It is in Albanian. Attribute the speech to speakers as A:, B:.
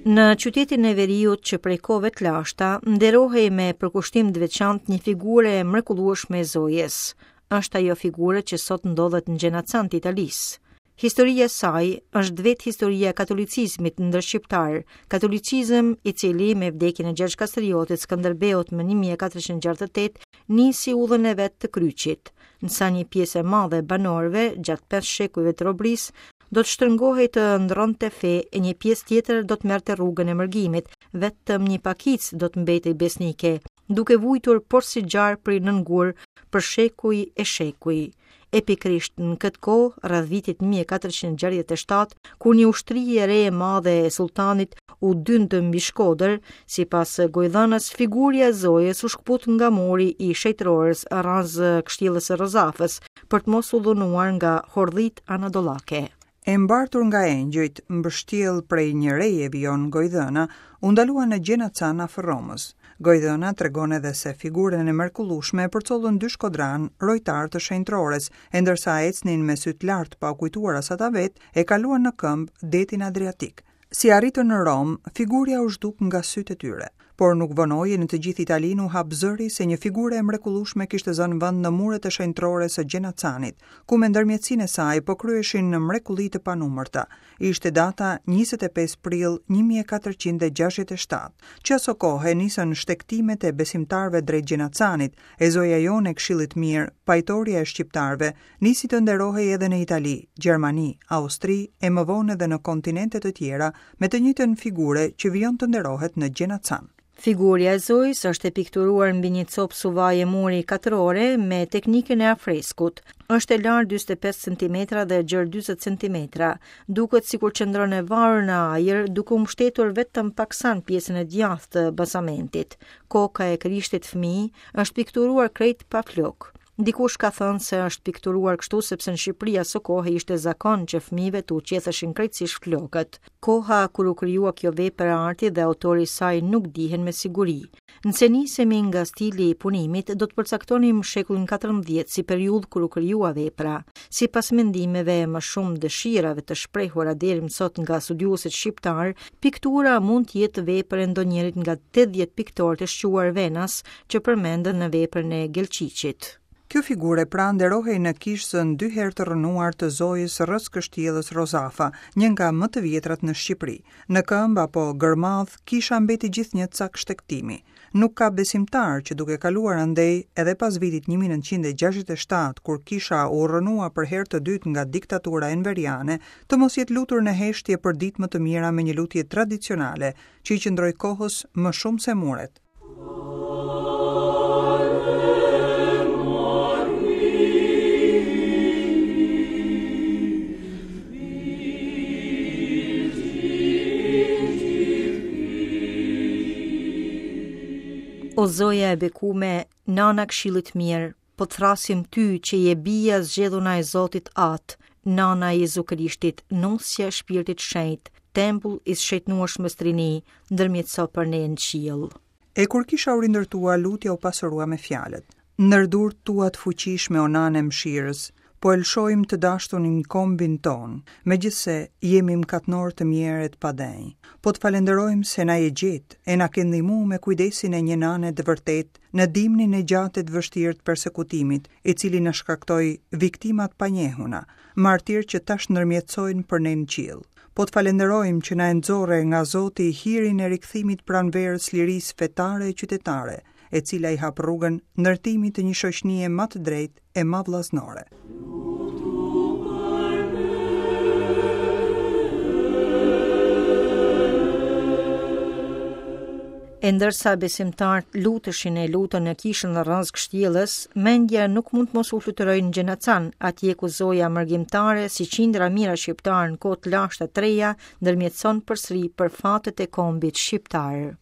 A: Në qytetin e veriut që prej kohëve të lashta, nderohej me përkushtim të veçantë një figurë e mrekullueshme e Zojës. Është ajo figurë që sot ndodhet në Gjenacan të Italisë. Historia e saj është vetë historia e katolicizmit ndër shqiptarë, katolicizëm i cili me vdekjen e Gjergj Kastriotit Skënderbeut më 1468 nisi udhën e vet të kryqit. Ndërsa një pjesë e madhe e banorëve gjatë 5 shekujve të robërisë do të shtrëngohej të ndërronte fe e një pjesë tjetër do të merrte rrugën e mërgimit, vetëm një pakicë do të mbetej besnike, duke vujtur porsi gjarpri nën gur për shekuj e shekuj. E pikërisht në këtë kohë, rreth vitit 1467, kur një ushtri e re e madhe e sulltanit u dynd mbi Shkodër, sipas gojëdhënës, figurja e Zojës u shkëput nga muri i shenjtërores rrëzë kështjellës së Rozafës, për të mos u dhunuar nga hordhitë anadollake.
B: E mbartur nga engjëjt, mbështjellë prej një reje vijon gojëdhëna, u ndalua në Gjenacan afër Romës. Gojëdhëna tregon edhe se figurën e mrekullueshme e përcollën dy shkodranë, rojtarë të shenjtërores, e ndërsa ecnin me sytë lart pa u kujtuar as ata vetë, e kaluan në këmbë detin Adriatik. Si arritën në Romë, figurja u zhduk nga sytë e tyre. Por nuk vonoi e në të gjithë Italinë u hap zëri se një figure e mrekullueshme kishte zënë vend në muret e shenjtërores së Gjenacanit, ku me ndërmjetësinë e saj po kryheshin mrekulli të panumërta. Ishte data 25 prill 1467. Që asokohe nisën shtegtimet e besimtarëve drejt Gjenacanit, e Zoja jonë e Këshillit Mirë, pajtorja e shqiptarëve, Nisi të nderohej edhe në Itali, Gjermani, Austri e më vonë edhe në kontinente të tjera me të njëjtën figure që vijon të nderohet në Gjenacan.
A: Figurja e Zojës është e pikturuar mbi një copë suvaje muri katrore me teknikën e afreskut. Është e lartë 45 cm dhe e gjerë 40 cm. Duket sikur qëndron e varur në ajër, duke u mbështetur vetëm paksa në pjesën e djathtë të bazamentit. Koka e Krishtit fëmijë është pikturuar krejt pa flokë. Dikush ka thënë se është pikturuar kështu sepse në Shqipëri asokohe ishte zakon që fëmijëve t'u qetheshin krejtësisht flokët. Koha kur u krijua kjo vepër arti dhe autori i saj nuk dihen me siguri. Nëse nisemi nga stili i punimit, do të përcaktonim shekullin 14 si periudhë kur u krijua vepra. Sipas mendimeve e më shumë dëshirave të shprehura deri më sot nga studiuesit shqiptarë, piktura mund të jetë vepër e ndonjërit nga 80 piktorët e shquar venas që përmenden në veprën e Gelqiqit.
B: Kjo figure pra nderohej në kishëzën dy herë të rrënuar të Zojës rrëzë kështjellës Rozafa, një nga më të vjetrat në Shqipëri. Në këmbë apo gërmadhë, kisha mbeti gjithnjë cak shtegtimi. Nuk ka besimtar që duke kaluar andej edhe pas vitit 1967, kur kisha u rrënua për herë të dytë nga diktatura enveriane, të mos jetë lutur në heshtje për ditë më të mira me një lutje tradicionale, që i qëndroi kohës më shumë se muret.
A: O Zoja e bekume, nana këshillit mirë, po të thrasim ty që je bija e zgjedhuna e Zotit Atë, nana e Jezu Krishtit, nusja e Shpirtit Shenjt, tempull i së shejtnueshmes Trini, ndërmjetëso për ne në
B: qiell. E kur kisha u rindërtua, lutja u pasurua me fjalët. Ndër durt tua të fuqishme o nanë e mëshirës, po e lëshojmë të dashtunin kombin tonë, megjithëse jemi mkatnorë të mjerë e të padenjë. Po të falenderojmë se na je gjetë e na ke ndihmu me kujdesin e një nane të vërtetë në dimnin e gjatë e të vështirë të persekutimit, i cili na shkaktoi viktima të panjehuna, martirë që tash ndërmjetësojnë për ne në qiell. Po të falenderojmë që na e nxorre nga Zoti hirin e rikthimit pranverës lirisë fetare e qytetare, e cila i hap rrugën ndërtimit të një shoqnie ma të drejtë e ma vllaznore.
A: E ndërsa besimtarët luteshin e lutën në kishën rrëzë kështjellës, mendja nuk mund të mos u fluturojë në Gjenacan, atje ku Zoja mërgimtare, si qindra mijëra shqiptarë në kohë të lashta të reja, ndërmjetëson përsëri për fatet e kombit shqiptar.